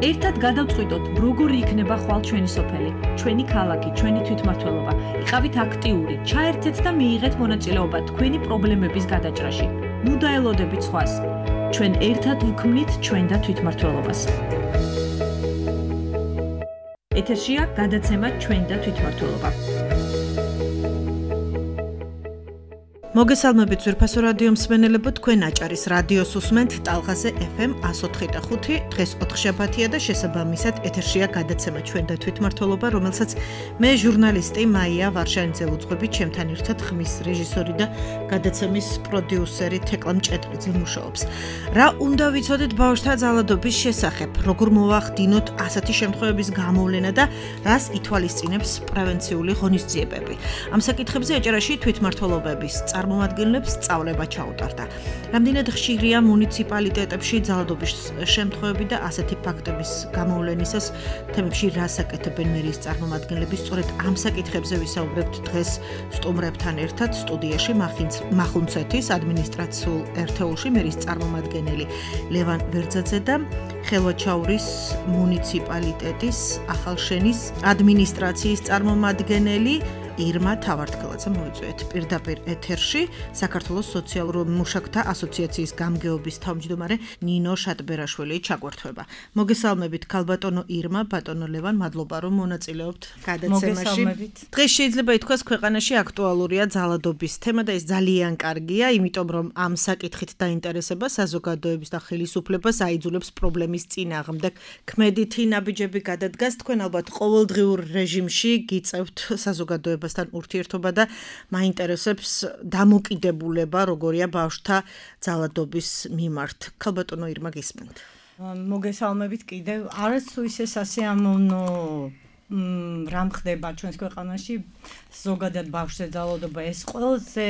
ერთად გადავწყვიტოთ, როგორი იქნება ხვალ ჩვენი სოფელი, ჩვენი ქალაქი, ჩვენი თვითმმართველობა. იყავით აქტიური, ჩაერთეთ და მიიღეთ მონაწილეობა თქვენი პრობლემების გადაჭრაში. ნუ დაელოდებით სხვას. ჩვენ ერთად ვქმნით ჩვენ და თვითმმართველობას. ეთერშია გადაცემა ჩვენ და თვითმმართველობა. მოგესალმებით ძვირფასო რადიო მსმენელებო, თქვენ აჭარის რადიოს უსმენთ ტალღაზე FM 104.5. დღეს 4 შაბათია და შესაბამისად ეთერშია გადაცემა ჩვენ და თვითმმართველობა, რომელსაც მე ჟურნალისტი მაია ვარშანიძე ვუძღვები, ჩემთან ერთად ხმის რეჟისორი და გადაცემის პროდიუსერი თეკლა მჭედრიძე მუშაობს. რა უნდა ვიცოდეთ ბავშვთა ძალადობის შესახებ, როგორ მოვახდინოთ ასეთი შემთხვევების გამოვლენა და რას ითვალისწინებს პრევენციული ღონისძიებები. ამ საკითხებზე აჭარაში თვითმმართველობების წარმომადგენლებს სწავლება ჩაუტარდა. რამდენად ხშირია მუნიციპალიტეტებში ძალადობის შემთხვევები და ასეთი ფაქტების გამოვლენისას თემებში რას აკეთებენ მერის წარმომადგენლები? სწორედ ამ საკითხებზე ვისაუბრებთ დღეს სტუმრებთან ერთად სტუდიაში მახუნცეთის ადმინისტრაციულ ერთეულში მერის წარმომადგენელი ლევან ვერძაძე და ხელვაჩაურის მუნიციპალიტეტის ახალშენის ადმინისტრაციის წარმომადგენელი ირმა თავართქელაძე მოვიწვიეთ პირდაპირ ეთერში საქართველოს სოციალურ მუშაკთა ასოციაციის გამგეობის თავმჯდომარე ნინო შატბერაშვილი ჩაგვერთვება. მოგესალმებით ქალბატონო ირმა, ბატონო ლევან, მადლობა რომ მონაწილეობთ გადაცემაში. დღეს შეიძლება ითქვას ქვეყანაში აქტუალურია ძალადობის თემა და ეს ძალიან კარგია, იმიტომ რომ ამ საკითხით დაინტერესება საზოგადოების და ხელისუფლებას აიძულებს პრობლემის წინააღმდეგ ქმედითი ნაბიჯები გადადგას. თქვენ ალბათ ყოველდღიურ რეჟიმში გიწევთ საზოგადოებას ურთიერთობა და მაინტერესებს დამოკიდებულება როგორია ბავშვთა ძალადობის მიმართ. ქალბატონო ირმა გისმენთ. მოგესალმებით კიდევ. არასდროს ისე სასიამოვნო რამ ხდება ჩვენს ქვეყანაში ზოგადად ბავშვზე ძალადობა ეს ყველაზე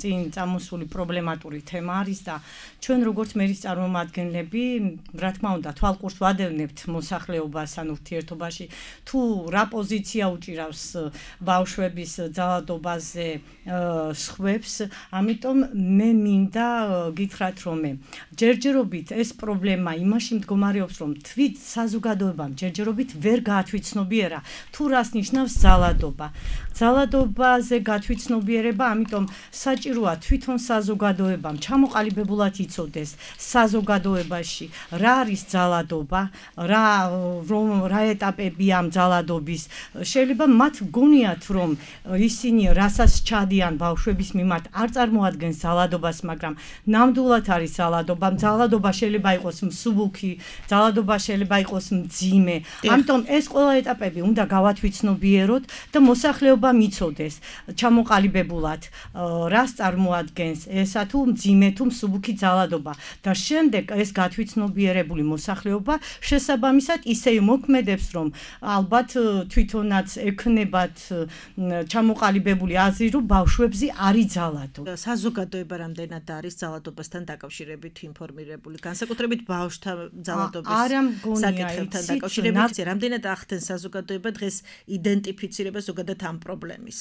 წინ წამოსული პრობლემატური თემა არის და ჩვენ როგორც მერის წარმომადგენლები რა თქმა უნდა თვალყურს ვადევნებთ მოსახლეობას ან ურთიერთობაში თუ რა პოზიცია უჭირავს ბავშვების ძალადობაზე სხვებს, ამიტომ მე მინდა გითხრათ რომ ჯერჯერობით ეს პრობლემა იმაში მდგომარეობს რომ თვით საზოგადოებამ ჯერჯერობით ვერ გაათვითცნობიერა თუ რას ნიშნავს ძალადობა. ძალადობაზე გათვითცნობიერება, ამიტომ საჭიროა თვითონ საზოგადოებამ ჩამოყალიბებულად იცოდეს საზოგადოებაში რა არის ძალადობა, რა ეტაპებია ამ ძალადობის. შეიძლება მათ გონიათ რომ ისინი რასაც ჩადიან ბავშვების მიმართ არ წარმოადგენს ძალადობას, მაგრამ ნამდვილად არის ძალადობა. ძალადობა შეიძლება იყოს მსუბუქი, ძალადობა შეიძლება იყოს მძიმე. ამიტომ ეს ყველა ეტაპები უნდა გავათვითცნობიეროთ და მოსახლეობა მიცოდეს ჩამოყალიბებულად რას წარმოადგენს ესა თუ მძიმე თუ მსუბუქი ძალადობა და შემდეგ ეს გათვითცნობიერებული მოსახლეობა შესაბამისად ისე მოქმედებს რომ ალბათ თვითონაც ექნებათ ჩამოყალიბებული აზრი რომ ბავშვებზე არ იძალადო. საზოგადოება რამდენად არის ძალადობასთან დაკავშირებით ინფორმირებული, განსაკუთრებით ბავშვთა ძალადობის საკითხებთან დაკავშირებით, რამდენად ახდენს საზოგადოება დღეს იდენტიფიცირება ზოგადად ამ პრობლემის?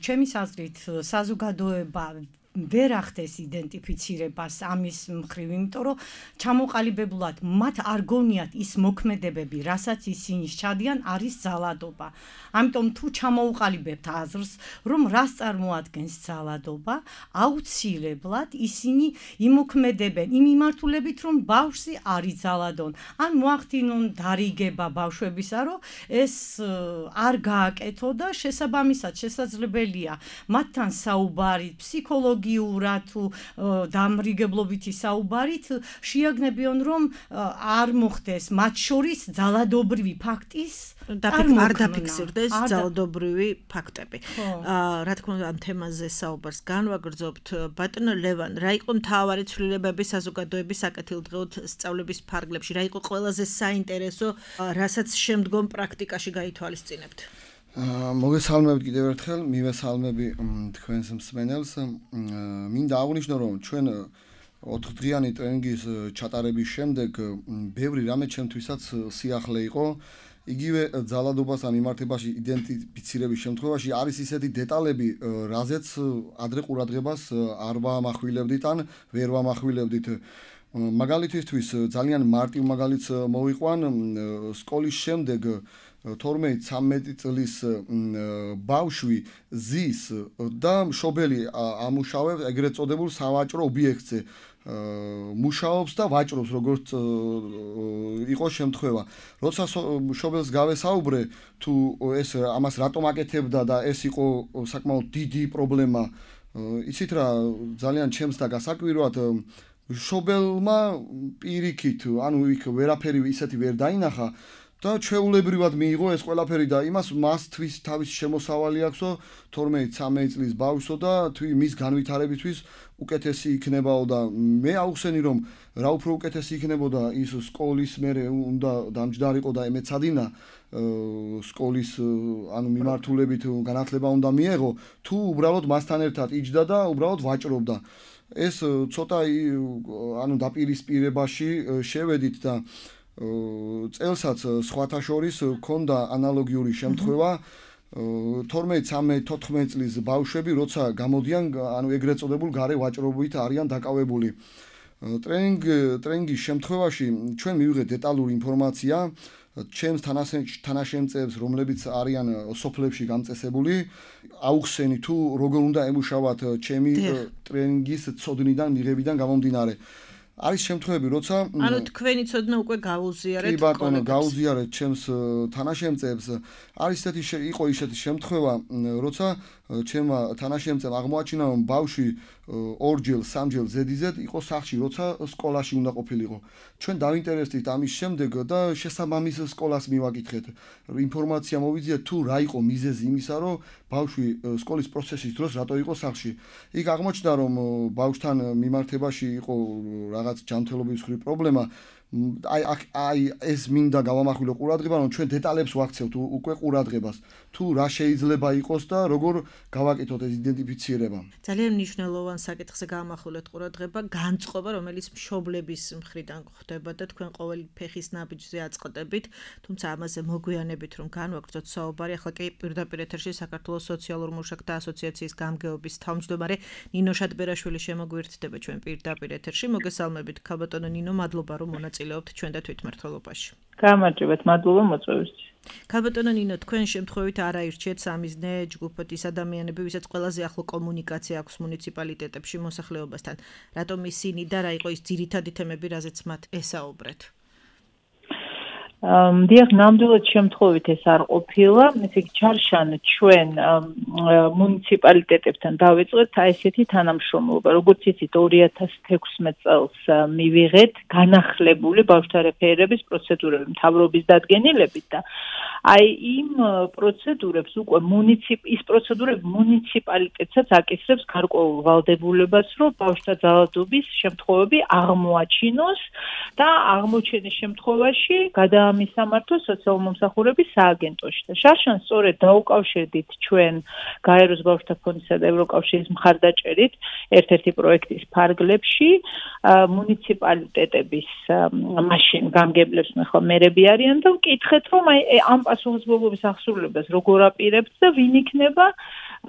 ჩემი აზრით საზოგადოება ვერ ახდენს იდენტიფიცირებას ამის მხრივ, იმიტომ რომ ჩამოყალიბებულად მათ არ გონიათ ის მოქმედებები, რასაც ისინი ჩადიან, არის ძალადობა. ამიტომ თუ ჩამოუყალიბებთ აზრს, რომ რას წარმოადგენს ძალადობა, აუცილებლად ისინი იმოქმედებენ იმ მიმართულებით, რომ ბავშვი არ იძალადონ. ან მოახდინონ დარიგება ბავშვებისა, რომ ეს არ გააკეთო და შესაბამისად შესაძლებელია მათთან საუბარით, ფსიქოლოგიურად თუ დამრიგებლობითი საუბარით შეაგნებიონ რომ არ მოხდეს მათ შორის ძალადობრივი ფაქტის არ დაფიქსირდეს ძალადობრივი ფაქტები. რა თქმა უნდა ამ თემაზე საუბარს განვაგრძობთ. ბატონო ლევან, რა იყო მთავარი ცვლილებები საზოგადოების საკეთილდღეოდ სწავლების ფარგლებში? რა იყო ყველაზე საინტერესო, რასაც შემდგომ პრაქტიკაში გაითვალისწინებთ? მოგესალმებით კიდევ ერთხელ, მივესალმები თქვენს მსმენელს. მინდა აღვნიშნო რომ ჩვენ 4 დღიანი ტრენინგის ჩატარების შემდეგ ბევრი რამე ჩემთვისაც სიახლე იყო. იგივე ძალადობასთან მიმართებაში იდენტიფიცირების შემთხვევაში არის ისეთი დეტალები, რაზეც ადრე ყურადღებას არ ვამახვილებდით ან ვერ ვამახვილებდით. მაგალითისთვის ძალიან მარტივ მაგალითს მოვიყვან სკოლის შემდეგ 12-13 წლის ბავშვი ზის და მშობელი ამუშავებს ეგრეთ წოდებულ სავაჭრო ობიექტზე მუშაობს და ვაჭრობს როგორც იყოს შემთხვევა. როცა მშობელს გავესაუბრე თუ ეს ამას რატომ აკეთებდა და ეს იყო საკმაოდ დიდი პრობლემა, იცით რა ძალიან ჩემს და გასაკვირვად მშობელმა პირიქით, ანუ იქ ვერაფერი ისეთი ვერ დაინახა და ჩვეულებრივად მიიღო ეს ყველაფერი და იმას მასთვის თავის შემოსავალი აქვსო 12-13 წლის ბავშვსო და მის განვითარებისთვის უკეთესი იქნებაო და მე აუხსენი რომ რა უფრო უკეთესი იქნებოდა ის სკოლის მერე უნდა დამჯდარიყო და ემეცადინა სკოლის ანუ მიმართულებით განათლება უნდა მიეღო თუ უბრალოდ მასთან ერთად იჯდა და უბრალოდ ვაჭრობდა ეს ცოტა ანუ დაპირისპირებაში შევედით და წელსაც სხვათა შორის ქონდა ანალოგიური შემთხვევა 12-13-14 წლის ბავშვები როცა გამოდიან ანუ ეგრეთ წოდებულ გარე ვაჭრობით არიან დაკავებული ტრენინგის შემთხვევაში ჩვენ მივიღეთ დეტალური ინფორმაცია ჩემს თანაშემწეებს რომლებიც არიან სოფლებში გამწესებული აუხსენი თუ როგორ უნდა ემუშავათ ჩემი ტრენინგის ცოდნიდან მიღებიდან გამომდინარე არის შემთხვევები, როცა ანუ თქვენი ცოდნა უკვე გაუზიარეთ კი ბატონო, გაუზიარეთ ჩემს თანაშემწეებს. არის იყო ისეთი შემთხვევა, როცა ჩემმა თანაშემწემ აღმოაჩინა, რომ ბავშვი 2-ჯერ, 3-ჯერ ზედიზედ იყო სახლში, როცა სკოლაში უნდა ყოფილიყო. ჩვენ დავინტერესდით ამის შემდეგ და შესაბამის სკოლას მივაკითხეთ. ინფორმაცია მოვიძიეთ თუ რა იყო მიზეზი იმისა, რომ ბავშვი სკოლის პროცესის დროს რატო იყო სახლში. იქ აღმოჩნდა, რომ ბავშვთან მიმართებაში იყო რაღაც ჯანმრთელობის მხრივ პრობლემა. აი ეს მინდა გავამახვილო ყურადღება, რომ ჩვენ დეტალებს ვაქცევთ უკვე ყურადღებას. თუ რა შეიძლება იყოს და როგორ გავაკეთოთ ეს იდენტიფიცირება. ძალიან მნიშვნელოვან საკითხზე გავამახვილოთ ყურადღება, განწყობა, რომელიც მშობლების მხრიდან ხდება და თქვენ ყოველი ფეხის ნაბიჯზე აწყდებით, თუმცა ამაზე მოგვიანებით რომ განვაგრძოთ საუბარი, ახლა კი პირდაპირ ეთერში საქართველოს სოციალურ მუშაკთა ასოციაციის გამგეობის თავმჯდომარე ნინო შატბერაშვილი შემოგვიერთდება ჩვენ პირდაპირ ეთერში. მოგესალმებით, ქალბატონო ნინო, მადლობა რომ მონაწილეობთ ჩვენ და თვითმმართველობაში. გამარჯობათ, მადლობა მოწვევისთვის. ქალბატონო ნინო, თქვენ შემთხვევით არ აირჩიეთ სამიზნე ჯგუფად ის ადამიანები, ვისაც ყველაზე ახლო კომუნიკაცია აქვს მუნიციპალიტეტებში მოსახლეობასთან. რატომ ისინი და რა იყო ის ძირითადი თემები, რაზეც მათ ესაუბრეთ? დიახ, ნამდვილად შემთხვევით ეს არ ყოფილა, ესე იგი ჩარშან ჩვენ მუნიციპალიტეტებთან დავიწყეთ აი ესეთი თანამშრომლობა, როგორც იცით 2016 წელს მივიღეთ განახლებული ბავშვთა რეფერირების პროცედურები მთავრობის დადგენილებით და აი იმ პროცედურებს უკვე ის პროცედურები მუნიციპალიტეტსაც აკისრებს გარკვეულ ვალდებულებას, რომ ბავშვთა ძალადობის შემთხვევები აღმოაჩინოს და აღმოჩენის შემთხვევაში გადაამისამართოს სოციალურ-მომსახურების სააგენტოში. და შარშან სწორედ დაუკავშირდით ჩვენ გაეროს ბავშვთა ფონდისა და ევროკავშირის მხარდაჭერით ერთ-ერთი პროექტის ფარგლებში მუნიციპალიტეტების მაშინ გამგებლებს ახლა მერები არიან და ვკითხეთ, რომ აი ამ პასუხისმგებლობის აღსრულებას როგორ აპირებთ და ვინ იქნება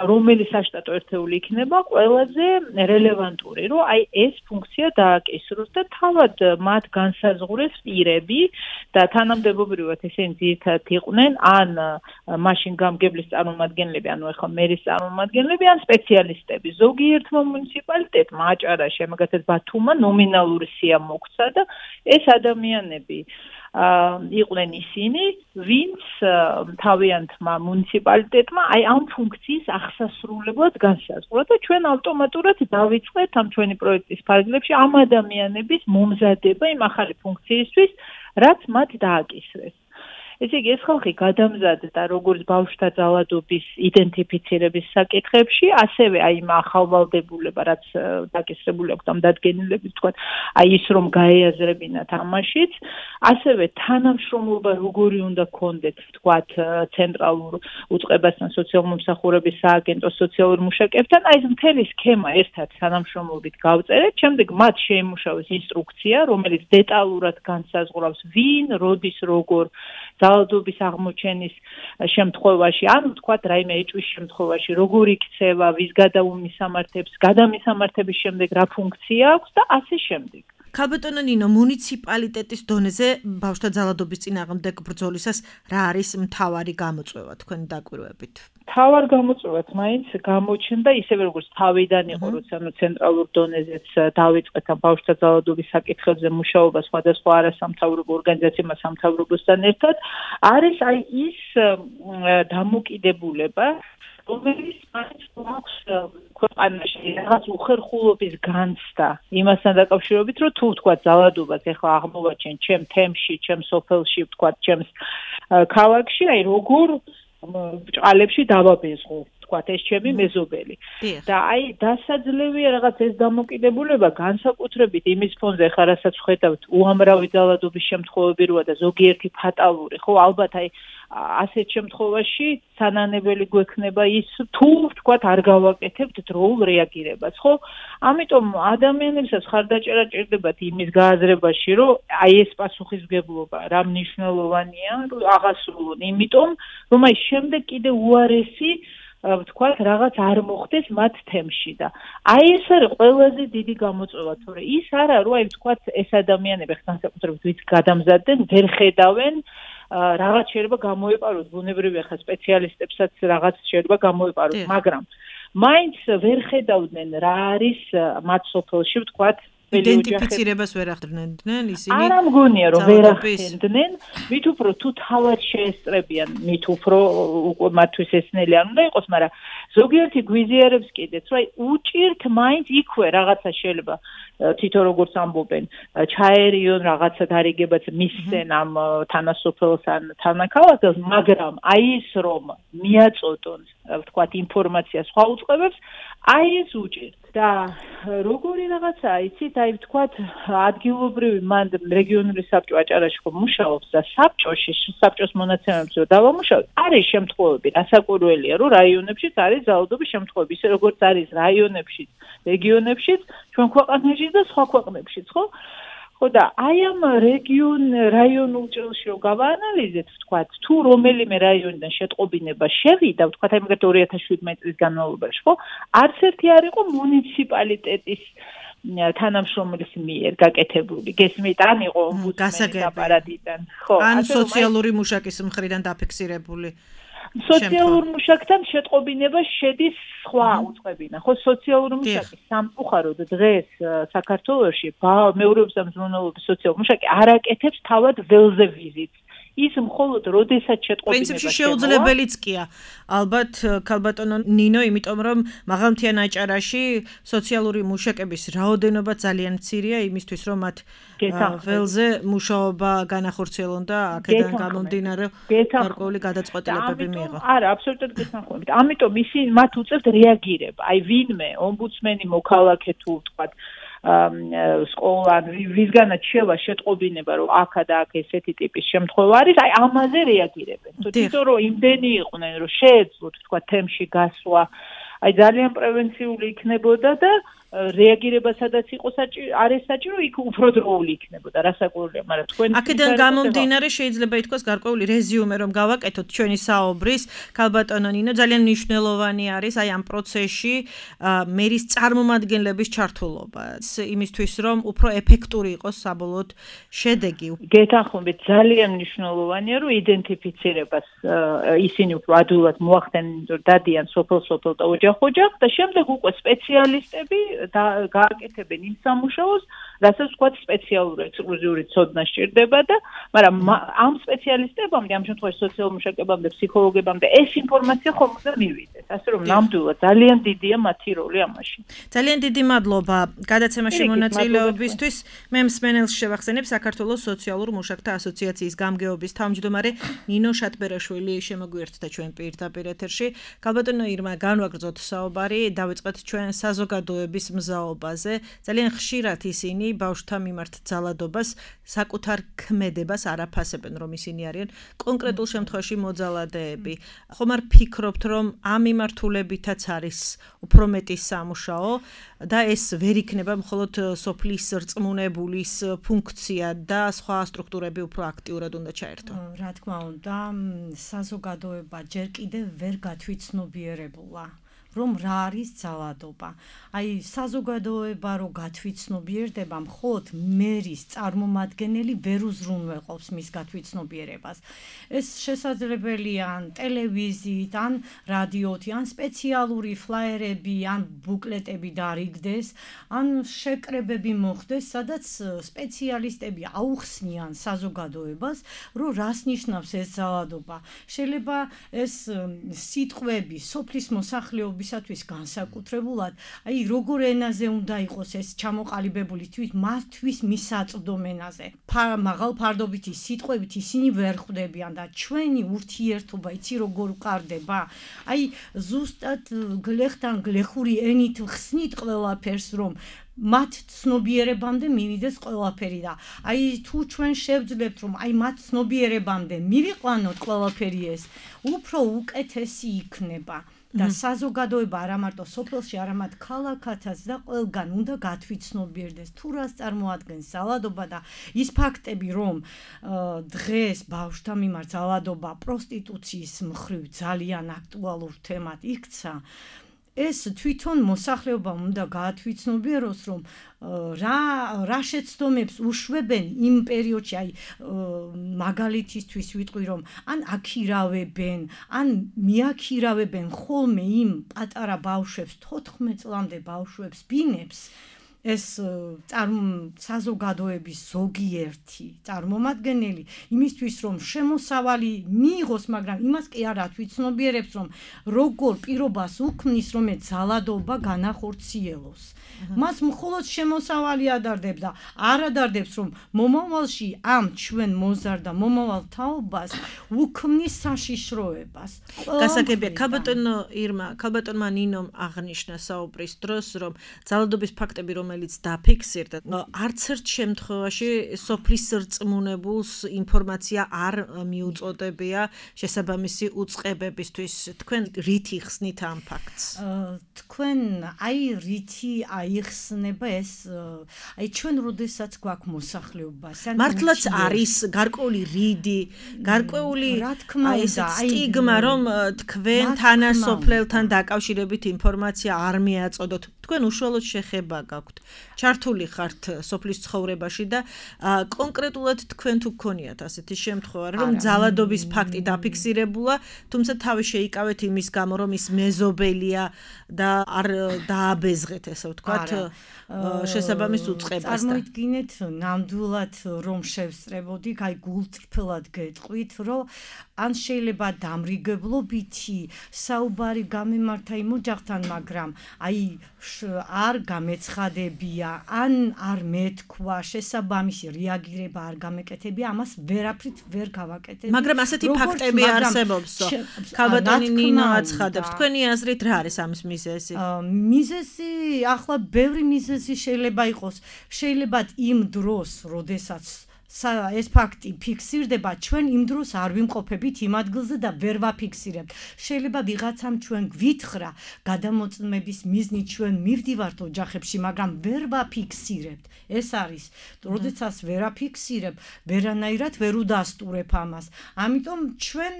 რომელი საშტატო ერთეული იქნება ყველაზე რელევანტური, რომ აი ეს ფუნქცია დააკისროს და თავად მათ განსაზღვრეს პირები და თანამდებობრივად ესენი ძირითადად იყვნენ ან მაშინ გამგებლის წარმომადგენლები, ანუ ახლა მერის წარმომადგენლები, ან სპეციალისტები. ზოგიერთმა მუნიციპალიტეტმა აჭარა შემოგეთეთ ბათუმმა ნომინალური სია მოგცა და ეს ადამიანები იყვნენ ისინი, ვინც თავიანთმა მუნიციპალიტეტმა აი ამ ფუნქციის აღსასრულებლად განსაზღვრა და ჩვენ ავტომატურად დავიწყეთ ამ ჩვენი პროექტის ფარგლებში ამ ადამიანების მომზადება იმ ახალი ფუნქციისთვის, რაც მათ დააკისრეს. ესე იგი, ეს ხალხი გადამზადდა როგორც ბავშვთა ძალადობის იდენტიფიცირების საკითხებში, ასევე აი იმ ახალვალდებულება, რაც დაკისრებული აქვს ამ დადგენილებით, თქვა, აი ის რომ გაეაზრებინათ ამაშიც, ასევე თანამშრომლობა როგორი უნდა გქონდეთ, თქვა, ცენტრალურ უწყებასთან, სოციალურ-მომსახურების სააგენტოს სოციალურ მუშაკებთან, აი ეს მთელი სქემა ერთად თანამშრომლობით გავწერეთ, შემდეგ მათ შეიმუშავეს ინსტრუქცია, რომელიც დეტალურად განსაზღვრავს ვინ, როდის, როგორ ძალადობის აღმოჩენის შემთხვევაში, ანუ თქვა რაიმე ეჭვის შემთხვევაში, როგორ იქცევა, ვის გადაუმისამართებს, გადამისამართების შემდეგ რა ფუნქცია აქვს და ასე შემდეგ. ქალბატონო ნინო, მუნიციპალიტეტის დონეზე ბავშვთა ძალადობის წინააღმდეგ ბრძოლისას რა არის მთავარი გამოწვევა თქვენი დაკვირვებით? თავარ გამოწვევად მაინც გამოჩნდა ისევე როგორც თავიდან იყო როცა ცენტრალურ დონეზეც დავიწყეთ ამ ბავშვთა ძალადობის საკითხებზე მუშაობა სხვადასხვა არასამთავრობო ორგანიზაციებმა სამთავრობოსთან ერთად არის აი ის დამოკიდებულება რომელიც მაინც გვაქვს ქვეყანაში რაღაც უხერხულობის განცდა იმასთან დაკავშირებით რომ თუ ვთქვა ძალადობას ეხლა აღმოვაჩენ ჩემ თემში ჩემ სოფელში ვთქვა ჩემს ქალაქში აი როგორ ბჭყალებში დავაბეზღო ვთქვათ ეს ჩემი მეზობელი და აი დასაძლევია რაღაც ეს დამოკიდებულება განსაკუთრებით იმის ფონზე ხარ რასაც ხედავთ უამრავი ძალადობის შემთხვევები როა და ზოგიერთი ფატალური ხო ალბათ აი ასეთ შემთხვევაში სანანებელი გვექნება ის თუ ვთქვათ არ გავაკეთებთ დროულ რეაგირებას ხო ამიტომ ადამიანებსაც ხარდაჭერა ჭირდებათ იმის გააზრებაში რომ აი ეს პასუხისმგებლობა რა მნიშვნელოვანია რომ აღასრულონ იმიტომ რომ აი შემდეგ კიდე უარესი ვთქვათ რაღაც არ მოხდეს მათ თემში და აი ეს არის ყველაზე დიდი გამოწვევა თორე ის არა რომ აი ვთქვათ ეს ადამიანები განსაკუთრებით ვინც გადამზადდნენ ვერ ხედავენ რაღაც შეიძლება გამოეპაროს ბუნებრივია ხა სპეციალისტებსაც რაღაც შეიძლება გამოეპაროს მაგრამ მაინც ვერ ხედავდნენ რა არის მათ სოფელში ვთქვათ იდენტიფიცირებას ვერ ახდენდნენ ისინი არა მგონია რომ ვერ ახდენდნენ მით უფრო თუ თავად შეესწრებიან მით უფრო მათთვის ესნელი არ უნდა იყოს მაგრამ ზოგიერთი გვიზიარებს კიდეც რომ აი უჭირთ მაინც იქვე რაღაცა შეიძლება თვითონ როგორც ამბობენ ჩაერიონ რაღაცა დარიგებაც მისცენ ამ თანასოფელს ან თანაქალაქს მაგრამ აი ის რომ მიაწოდონ ვთქვათ ინფორმაცია სხვა უწყებებს აი ეს უჭირთ და როგორი რაღაცაა იცით აი ვთქვათ ადგილობრივი მან რეგიონული საბჭო აჭარაში ხო მუშაობს და საბჭოს მონაცემებზე დავამუშავოთ არის შემთხვევები რასაკვირველია რომ რაიონებშიც არის ძალადობის შემთხვევები ისე როგორც არის რაიონებშიც რეგიონებშიც ჩვენ ქვეყანაში და სხვა ქვეყნებშიც ხო ხო და აი ამ რაიონულ ჭრილში რომ გავაანალიზეთ ვთქვათ თუ რომელიმე რაიონიდან შეტყობინება შევიდა ვთქვათ აი მაგათ 2017 წლის განმავლობაში ხო არც ერთი არ იყო მუნიციპალიტეტის თანამშრომლის მიერ გაკეთებული გესმით ან იყო ომბუდსმენის აპარატიდან ხო ან სოციალური მუშაკის მხრიდან დაფიქსირებული სოციალურ მუშაკთან შეტყობინება შედის სხვა უწყებინა ხო სოციალური მუშაკი სამწუხაროდ დღეს საქართველოში მეურვეობის და მზრუნველობის სოციალური მუშაკი არ აკეთებს თავად ველზე ვიზიტს ის მხოლოდ როდესაც შეტყობინება პრინციპში შეუძლებელიც კია ალბათ ქალბატონო ნინო იმიტომ რომ მაღალმთიან აჭარაში სოციალური მუშაკების რაოდენობა ძალიან მცირეა იმისთვის რომ მათ ველზე მუშაობა განახორციელონ და აქედან გამომდინარე გარკვეული გადაწყვეტილებები მიიღო არა აბსოლუტურად გესანხმებით ამიტომ ისინი მათ უწევთ რეაგირება აი ვინმე ომბუდსმენი მოქალაქე თუ ვთქვათ სკოლა ვისგანაც შევა შეტყობინება რომ აქა და აქ ესეთი ტიპის შემთხვევა არის აი ამაზე რეაგირებენ თვითონ რომ იმდენი იყვნენ რომ შეეძლოთ თქვა თემში გასვლა აი ძალიან პრევენციული იქნებოდა და რეაგირება სადაც იყოს არის საჭირო იქ უფრო დროული იქნებოდა რასაკვირველია მაგრამ თქვენ აქედან გამომდინარე შეიძლება ითქვას გარკვეული რეზიუმე რომ გავაკეთოთ ჩვენი საუბრის ქალბატონო ნინო ძალიან მნიშვნელოვანი არის აი ამ პროცესში მერის წარმომადგენლების ჩართულობა იმისთვის რომ უფრო ეფექტური იყოს საბოლოოდ შედეგი გეთანხმებით ძალიან მნიშვნელოვანია რომ იდენტიფიცირებას ისინი უფრო ადვილად მოახდენენ დადიან სოფელ და ოჯახ და შემდეგ უკვე სპეციალისტები და გააკეთებენ იმ სამუშაოს, რასაც ვთქვათ სპეციალური ექსკლუზიური ცოდნა სჭირდება და მაგრამ ამ სპეციალისტებამდე, ამ შემთხვევაში სოციალურ მუშაკებამდე, ფსიქოლოგებამდე ეს ინფორმაცია ხომ უნდა მივიდეს. ასე რომ ნამდვილად ძალიან დიდია მათი როლი ამაში. ძალიან დიდი მადლობა გადაცემაში მონაწილეობისთვის. მე მსმენელს შევახსენებ საქართველოს სოციალურ მუშაკთა ასოციაციის გამგეობის თავმჯდომარე ნინო შატბერაშვილი შემოგვიერთდა ჩვენ პირდაპირ ეთერში. ქალბატონო ირმა, განვაგრძოთ საუბარი, დავიწყეთ ჩვენ საზოგადოების მზაობაზე. ძალიან ხშირად ისინი ბავშვთა მიმართ ძალადობას საკუთარ ქმედებას არ აფასებენ, რომ ისინი არიან კონკრეტულ შემთხვევაში მოძალადეები. ხომ არ ფიქრობთ, რომ ამ მიმართულებითაც არის უფრო მეტი სამუშაო და ეს ვერ იქნება მხოლოდ სოფლის რწმუნებულის ფუნქცია და სხვა სტრუქტურები უფრო აქტიურად უნდა ჩაერთონ? რა თქმა უნდა, საზოგადოება ჯერ კიდევ ვერ გათვითცნობიერებულა. რომ რა არის ძალადობა. აი საზოგადოება რო გათვითცნობიერდება, მხოლოდ მერის წარმომადგენელი ვერ უზრუნველყოფს მის გათვითცნობიერებას. ეს შესაძლებელია ან ტელევიზიით, ან რადიოთი, ან სპეციალური ფლაიერები, ან ბუკლეტები დარიგდეს, ან შეკრებები მოხდეს, სადაც სპეციალისტები აუხსნიან საზოგადოებას, რომ რას ნიშნავს ეს ძალადობა. შეიძლება ეს სიტყვები სოფლის მოსახლეობისათვის განსაკუთრებულად, აი როგორ ენაზე უნდა იყოს ეს ჩამოყალიბებული მათთვის მისაწვდომ ენაზე. მაღალ ფარდობითი სიტყვებით ისინი ვერ ხვდებიან და ჩვენი ურთიერთობა იცი როგორ ვყარდება? აი ზუსტად გლეხთან გლეხური ენით ხსნით ყველაფერს, რომ მათ ცნობიერებამდე მივიდეს ყველაფერი და აი თუ ჩვენ შევძლებთ რომ აი მათ ცნობიერებამდე მივიყვანოთ ყველაფერი ეს უფრო უკეთესი იქნება და საზოგადოება არა მარტო სოფელში, არამედ ქალაქათაც და ყველგან უნდა გათვითცნობიერდეს თუ რას წარმოადგენს ძალადობა და ის ფაქტები რომ დღეს ბავშვთა მიმართ ძალადობა პროსტიტუციის მხრივ ძალიან აქტუალურ თემად იქცა. ეს თვითონ მოსახლეობამ უნდა გაათვითცნობიეროს, რომ რა შეცდომებს უშვებენ იმ პერიოდში, აი მაგალითისთვის ვიტყვი, რომ ან აქირავებენ, ან მიაქირავებენ ხოლმე იმ პატარა ბავშვებს, 14 წლამდე ბავშვებს, ბინებს, ეს საზოგადოების ზოგიერთი წარმომადგენელი იმისთვის რომ შემოსავალი მიიღოს, მაგრამ იმას კი არ ათვითცნობიერებს, რომ როგორ პირობას უქმნის, რომ ეს ძალადობა განახორციელოს. მას მხოლოდ შემოსავალი ადარდებს და არ ადარდებს, რომ მომავალში ამ ჩვენ მოზარდა მომავალ თაობას უქმნის საშიშროებას. გასაგებია, ქალბატონო ირმა, ქალბატონმა ნინომ აღნიშნა საუბრის დროს, რომ ძალადობის ფაქტები, რომელიც დაფიქსირდა, არც ერთ შემთხვევაში სოფლის რწმუნებულს ინფორმაცია არ მიუწოდებია შესაბამისი უწყებებისთვის. თქვენ რითი ხსნით ამ ფაქტს? თქვენ აი რითი აიხსნება ეს, აი ჩვენ როდესაც გვაქვს მოსახლეობა, მართლაც არის გარკვეული რიდი, გარკვეული სტიგმა, რომ თქვენ თანასოფლელთან დაკავშირებით ინფორმაცია არ მიაწოდოთ. თქვენ უშუალოდ შეხება გაქვთ. ჩართული ხართ სოფლის ცხოვრებაში და კონკრეტულად თქვენ თუ გქონიათ ასეთი შემთხვევა, რომ ძალადობის ფაქტი დაფიქსირებულა, თუმცა თავი შეიკავეთ იმის გამო, რომ ის მეზობელია და არ დააბეზღეთ, ესე ვთქვათ, შესაბამის უწყებას. წარმოიდგინეთ ნამდვილად რომ შევსწრებოდი, აი გულწრფელად გეტყვით, რომ ან შეიძლება დამრიგებლობითი საუბარი გამემართა იმ ოჯახთან, მაგრამ აი არ გამეცხადებია, ან არ მეთქვა, შესაბამისი რეაგირება არ გამეკეთებია, ამას ვერაფრით ვერ გავაკეთებ. მაგრამ ასეთი ფაქტები არსებობსო. ქალბატონი ნინო აცხადებს, თქვენი აზრით რა არის ამის მიზეზი? მიზეზი, ახლა ბევრი მიზეზი შეიძლება იყოს. შეიძლება იმ დროს, როდესაც ეს ფაქტი ფიქსირდება, ჩვენ იმ დროს არ ვიმყოფებით იმ ადგილზე და ვერ ვაფიქსირებთ. შეიძლება ვიღაცამ ჩვენ გვითხრა გადამოწმების მიზნით ჩვენ მივდივართ ოჯახებში, მაგრამ ვერ ვაფიქსირებთ. ეს არის, როდესაც ვერ აფიქსირებ, ვერანაირად ვერ უდასტურებ ამას. ამიტომ ჩვენ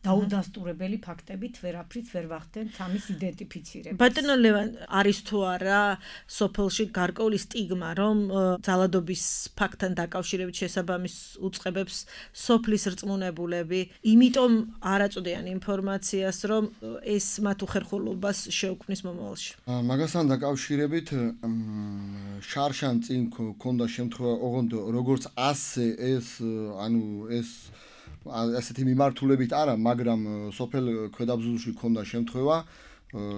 დაუდასტურებელი ფაქტებით ვერაფრით ვერ ვახდენთ ამის იდენტიფიცირებას. ბატონო ლევან, არის თუ არა სოფელში გარკვეული სტიგმა, რომ ძალადობის ფაქტთან დაკავშირებით შესაბამის უწყებებს სოფლის რწმუნებულები, იმიტომ არ აწოდიან ინფორმაციას, რომ ეს მათ უხერხულობას შეუქმნის მომავალში. მაგასთან დაკავშირებით შარშან წინ ქონდა შემთხვევა, ოღონდ როგორც ასე ეს, ეს ასეთი მიმართულებით არა, მაგრამ სოფელ ქვედაბზულში ქონდა შემთხვევა,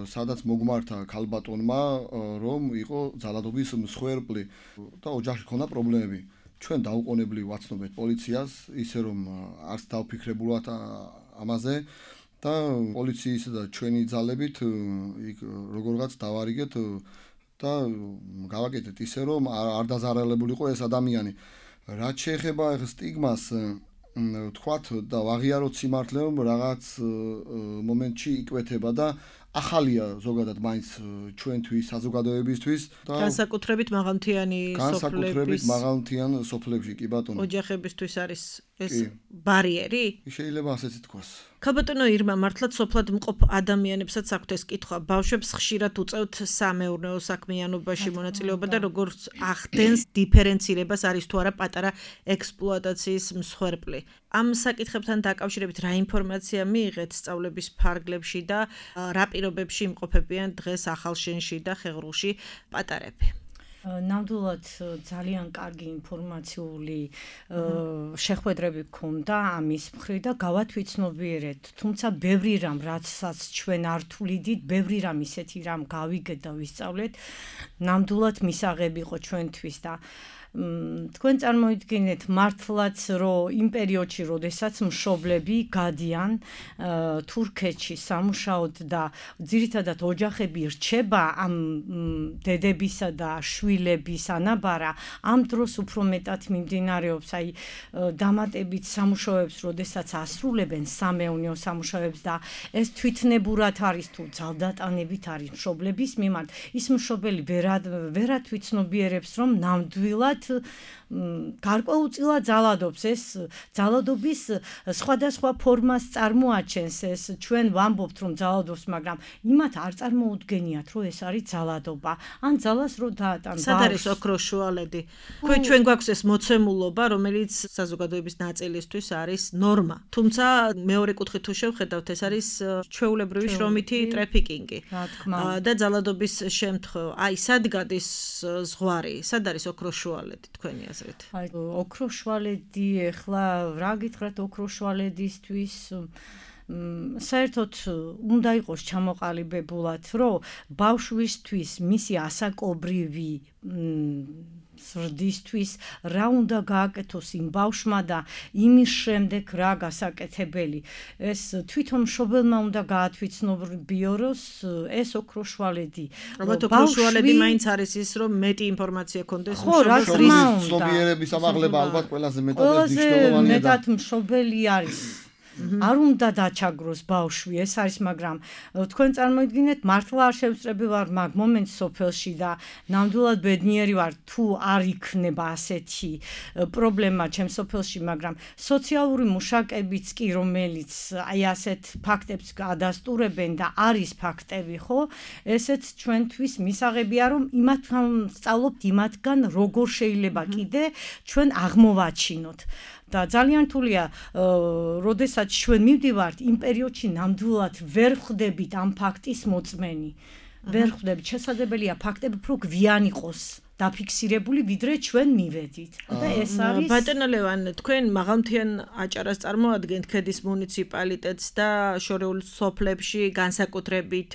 სადაც მოგმართა ქალბატონმა, რომ იყო ძალადობის მსხვერპლი და ოჯახში ქონდა პრობლემები. ჩვენ დაუყოვნებლივ ვაცნობეთ პოლიციას, ისე რომ არც დავფიქრებულად ამაზე და პოლიციის და ჩვენი ძალებით იქ როგორღაც დავარიგეთ და გავაკეთეთ ისე რომ არ დაზარალებულიყო ეს ადამიანი. რაც შეეხება სტიგმას თქვათ და ვაღიაროთ სიმართლე, რომ რაღაც მომენტში იკვეთება და ახალია ზოგადად მაინც ჩვენთვის საზოგადოებისთვის და განსაკუთრებით მაღალმთიანი სოფლების სოფლებში კი ბატონო ოჯახებისთვის არის ეს ბარიერი? შეიძლება ასეც ითქვას. ქალბატონო ირმა, მართლაც სოფლად მყოფ ადამიანებსაც აქვთ ეს კითხვა. ბავშვებს ხშირად უწევთ სამეურნეო საქმიანობაში მონაწილეობა და როგორც ახდენს დიფერენცირებას არის თუ არა პატარა ექსპლუატაციის მსხვერპლი. ამ საკითხებთან დაკავშირებით რა ინფორმაცია მიიღეთ სწავლების ფარგლებში და რა პირობებში იმყოფებიან დღეს ახალშენში და ხეღრულში პატარები? ნამდვილად ძალიან კარგი ინფორმაციული შეხვედრები გქონდა ამის მხრივ და გავათვითცნობიერეთ, თუმცა ბევრი რამ რაცაც ჩვენ არ თვლიდით, ბევრი რამ ისეთი რამ გავიგეთ და ვისწავლეთ, ნამდვილად მისაღები იყო ჩვენთვის და თქვენ წარმოიდგინეთ მართლაც რომ იმ პერიოდში როდესაც მშობლები გადიან თურქეთში სამუშაოდ და ძირითადად ოჯახები რჩება ამ დედებისა და შვილების ანაბარა ამ დროს უფრო მეტად მიმდინარეობს აი დამატებით სამუშაოებს როდესაც ასრულებენ სამეურნეო სამუშაოებს და ეს თვითნებურად არის თუ ძალდატანებით არის მშობლების მიმართ ის მშობელი ვერად ვიცნობიერებს რომ ნამდვილად გარკვეულწილად ძალადობს ეს ძალადობის სხვადასხვა ფორმას წარმოაჩენს ეს ჩვენ ვამბობთ რომ ძალადობს მაგრამ იმათ არ წარმოუდგენიათ რომ ეს არის ძალადობა ან ძალას რო დაატან სად არის ოქროს შუალედი ჩვენ გვაქვს ეს მოცემულობა რომელიც საზოგადოების ნაწილისთვის არის ნორმა თუმცა მეორე კუთხით თუ შევხედავთ ეს არის ჩვეულებრივი შრომითი ტრაფიკინგი და ძალადობის შემთხვევა აი სად გადის ზღვარი სად არის ოქროს შუალედი თქვენი აზრით აი ოქროს შუალედი ახლა რა გითხრათ ოქროს შუალედისთვის საერთოდ უნდა იყოს ჩამოყალიბებულად რომ ბავშვისთვის მისი ასაკობრივი სრდისთვის რა უნდა გააკეთოს იმ ბავშვმა და იმის შემდეგ რა გასაკეთებელი ეს თვითონ მშობელმა უნდა გაათვითცნობიოროს ეს ოქროს შუალედი ალბათ ოქროს შუალედი მაინც არის ის რომ მეტი ინფორმაცია ქონდეს მშობლის ცნობიერების ამაღლება ალბათ ყველაზე მეტად მნიშვნელოვანია და მეტად მშობელი არის არ უნდა დაჩაგროს ბავშვი ეს არის მაგრამ თქვენ წარმოიდგინეთ მართლა არ შევწრები ვარ მაგ მომენტს სოფელში და ნამდვილად ბედნიერი ვარ თუ არ იქნება ასეთი პრობლემა ჩემ სოფელში მაგრამ სოციალური მუშაკებიც კი რომელიც აი ასეთ ფაქტებს გადასტურებენ და არის ფაქტები ხო ესეც ჩვენთვის მისაღებია რომ იმათგან სწავლობთ იმათგან როგორ შეიძლება კიდე ჩვენ აღმოვაჩინოთ და ძალიან რთულია, როდესაც ჩვენ მივდივართ იმ პერიოდში ნამდვილად ვერ ხვდებით ამ ფაქტის მოწმენი. ვერ ხვდებით, შესაძლებელია ფაქტები უფრო გვიან იყოს დაფიქსირებული, ვიდრე ჩვენ მივედით. და ეს არის ბატონო ლევან, თქვენ მაღალმთიან აჭარას წარმოადგენთ ქედის მუნიციპალიტეტს და შორეულ სოფლებში განსაკუთრებით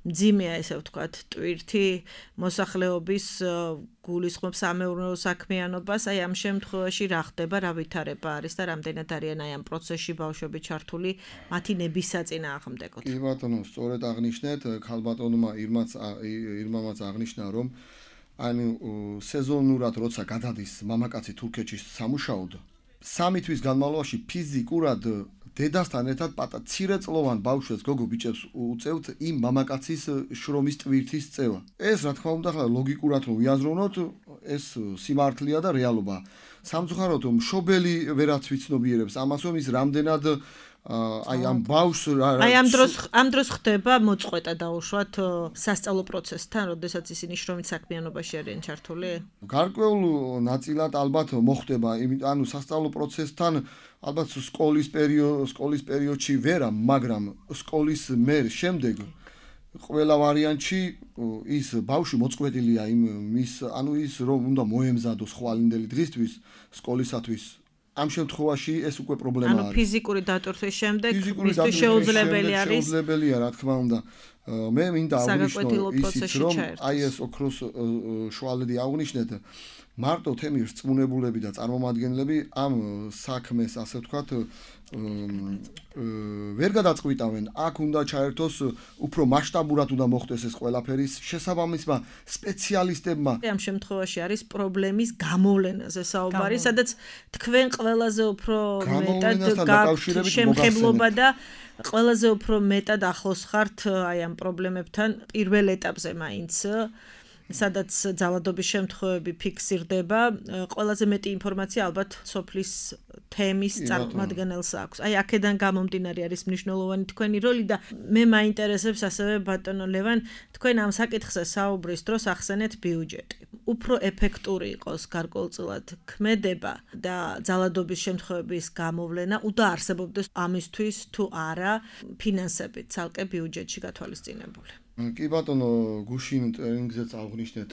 მძიმეა ესე ვთქვათ, ტვირთი მოსახლეობის გულისხმობს სამეურნეო საქმიანობას, აი ამ შემთხვევაში რა ხდება, რა ვითარება არის და რამდენად არიან აი ამ პროცესში ბავშვები ჩართული მათი ნების საწინააღმდეგოდ. კი ბატონო, სწორედ აღნიშნეთ, ქალბატონმა ირმამაც აღნიშნა, რომ ანუ სეზონურად როცა გადადის მამაკაცი თურქეთში სამუშაოდ, 3 თვის განმავლობაში ფიზიკურად დედასთან ერთად მცირეწლოვან ბავშვებს გოგო ბიჭებს უწევთ იმ მამაკაცის შრომის ტვირთის წევა. ეს რა თქმა უნდა, ხლა ლოგიკურად რომ ვიაზროვნოთ, ეს სიმართლეა და რეალობაა. სამწუხაროდ მშობელი ვერაც ვიცნობიერებს ამას, რომ ის რამდენად აი ამ ბავშვს აი ამ დროს ხდება მოწყვეტა დაუშვათ სასწავლო პროცესთან, როდესაც ისინი შრომით საქმიანობაში არიან ჩართული? გარკვეულ ნაწილად ალბათ მოხდება, ანუ სასწავლო პროცესთან ალბათ სკოლის პერიოდში ვერა, მაგრამ სკოლის შემდეგ ყველა ვარიანტში ის ბავშვი მოწყვეტილია ანუ ის რომ უნდა მოემზადოს ხვალინდელი დღისთვის სკოლისათვის ამ შემთხვევაში ეს უკვე პრობლემა არის. ანუ ფიზიკური დატვირთვის შემდეგ მისთვის შეუძლებელი არის. შეუძლებელია, რა თქმა უნდა. მე მინდა აღნიშნო ისიც რომ აი ეს ოქროს შუალედი აღნიშნეთ მარტო თემის რწმუნებულები და წარმომადგენლები ამ საქმეს ასე ვთქვათ ვერ გადაწყვიტავენ. აქ უნდა ჩაერთოს უფრო მასშტაბურად უნდა მოხდეს ეს ყველაფერი შესაბამისმა სპეციალისტებმა. ამ შემთხვევაში არის პრობლემის გამოვლენაზე საუბარი, სადაც თქვენ ყველაზე უფრო მეტად გაქვთ შემხებლობა და ყველაზე უფრო მეტად ახლოს ხართ აი ამ პრობლემებთან პირველ ეტაპზე მაინც სადაც ძალადობის შემთხვევები ფიქსირდება, ყველაზე მეტი ინფორმაცია ალბათ სოფლის თემის წარმომადგენელს აქვს. აი აქედან გამომდინარე არის მნიშვნელოვანი თქვენი როლი და მე მაინტერესებს ასევე ბატონო ლევან, თქვენ ამ საკითხზე საუბრის დროს ახსენეთ ბიუჯეტი. უფრო ეფექტური იყოს გარკვეულწილად ქმედება და ძალადობის შემთხვევების გამოვლენა უდაარსებობდეს ამისთვის თუ არა ფინანსებით ცალკე ბიუჯეტში გათვალისწინებული. კი ბატონო, გუშინ ტრენინგზეც აღნიშნეთ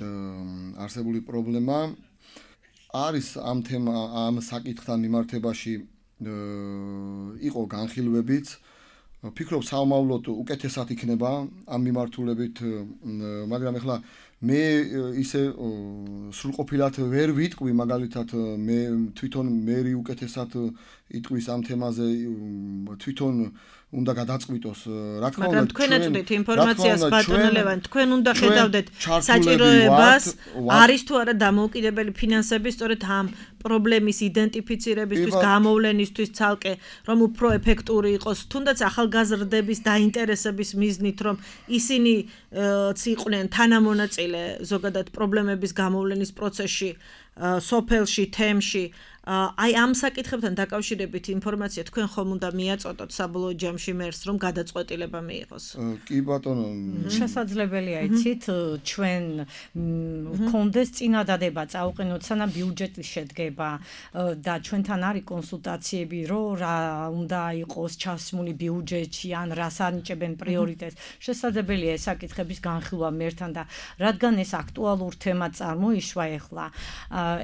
არსებული პრობლემა არის ამ საკითხთან მიმართებაში იყო განხილვებიც. ფიქრობ საომავლოდ უკეთესად იქნება ამ მიმართულებით, მაგრამ ეხლა მე ისე სრულყოფილად ვერ ვიტყვი, მაგალითად მე თვითონ მერი უკეთესად იტყვის ამ თემაზე, თვითონ უნდა გადაწყვიტოს, რა თქმა უნდა, მაგრამ თქვენ ეწვდით ინფორმაციას ბატონო ლევან, თქვენ უნდა ხედავდეთ საჭიროებას, არის თუ არა დამოუკიდებელი ფინანსები სწორედ ამ პრობლემის იდენტიფიცირებისთვის, გამოვლენისთვის ცალკე, რომ უფრო ეფექტური იყოს, თუნდაც ახალგაზრდების დაინტერესების მიზნით, რომ ისინი იყვნენ თანამონაწილე ზოგადად პრობლემების გამოვლენის პროცესში, სოფელში, თემში. აი ამ საკითხებთან დაკავშირებით ინფორმაცია თქვენ ხომ უნდა მიაწოდოთ საბოლოო ჯამში მერს, რომ გადაწყვეტილება მიიღოს. კი ბატონო, შესაძლებელია იცით, ჩვენ გქონდეს წინადადება წაუყენოთ სანამ ბიუჯეტი შედგება და ჩვენთან არის კონსულტაციები, რომ რა უნდა იყოს ჩასმული ბიუჯეტში ან რას ანიჭებენ პრიორიტეტს. შესაძლებელია ეს საკითხების განხილვა მერთან და რადგან ეს აქტუალურ თემად წარმოიშვა ეხლა,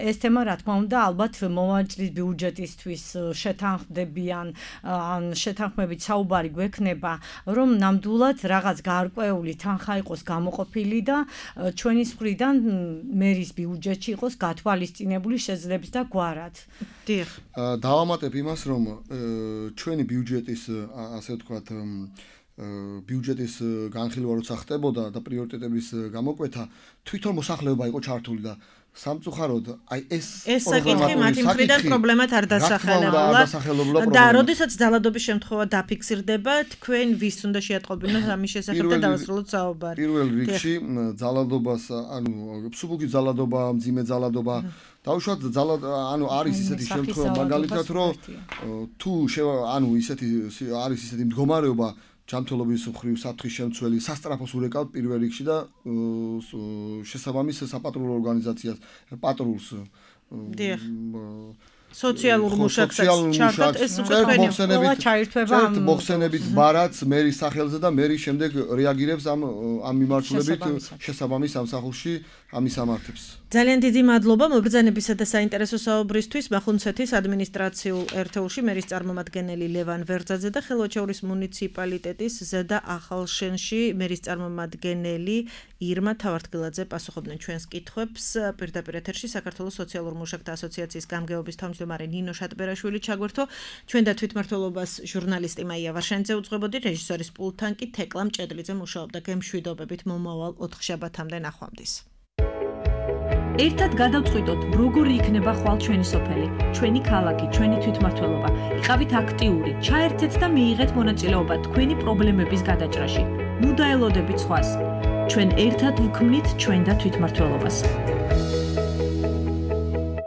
ეს თემა რა თქმა უნდა ალბათ მოვაჭრის ბიუჯეტისთვის შეთანხმდებიან ან შეთანხმებით საუბარი გვექნება, რომ ნამდვილად რაღაც გარკვეული თანხა იყოს გამოყოფილი და ჩვენის მხრიდან მერის ბიუჯეტში იყოს გათვალისწინებული შეძლებს და გვარად. დიახ. დავამატებ იმას, რომ ჩვენი ბიუჯეტის, ასე ვთქვათ, ბიუჯეტის განხილვა როცა ხდებოდა და პრიორიტეტების გამოკვეთა, თვითონ მოსახლეობა იყო ჩართული და სამწუხაროდ აი ეს საკითხი მათი მხრიდან პრობლემად არ დასახელებულა და როდესაც ძალადობის შემთხვევა დაფიქსირდება, თქვენ ვის უნდა შეატყობინოთ ამის შესახებ და დავასრულოთ საუბარი. პირველ რიგში ძალადობას, ანუ სუბუქი ძალადობა, მძიმე ძალადობა, დაუშვათ არის ისეთი შემთხვევა მაგალითად, რომ თუ არის ისეთი მდგომარეობა ჯანმრთელობის მხრივ საფრთხის შემცველი სასტრაფოს ურეკავთ პირველ რიგში და შესაბამის sapatrulo ორგანიზაციას პატრულს სოციალურ მუშაკსაც ჩართოთ ეს თქვენი ყველა ჩაირთვება მოხსენებით ბარაც მერის სახელზე და მერი შემდეგ რეაგირებს ამ მიმართულებით შესაბამის სამსახურში ამის ამართებს. ძალიან დიდი მადლობა მობრძანებისა და საინტერესო საუბრისთვის მახუნცეთის ადმინისტრაციულ ერთეულში მერის წარმომადგენელი ლევან ვერძაძე და ხელვაჩაურის მუნიციპალიტეტის ზედა ახალშენში მერის წარმომადგენელი ირმა თავართგილაძე პასუხობდნენ ჩვენს კითხვებს. პირდაპირ ეთერში საქართველოს სოციალურ მუშაკთა ასოციაციის გამგეობის თავმჯდომარე ნინო შატბერაშვილი ჩაგვერთო. ჩვენ და თვითმმართველობას ჟურნალისტი მაია ვარშანიძე უძღვებოდი, რეჟისორის პულტთან კი თეკლა მჭედლიძე მუშაობდა. გემშვიდობებით მომავალ 4 შაბათამდე ნახვამდის. ერთად გადავწყვიტოთ, როგორი იქნება ხვალ ჩვენი სოფელი, ჩვენი ქალაქი, ჩვენი თვითმმართველობა. იყავით აქტიური, ჩაერთეთ და მიიღეთ მონაწილეობა თქვენი პრობლემების გადაჭრაში. ნუ დაელოდებით სხვას. ჩვენ ერთად ვქმნით ჩვენ და თვითმმართველობას.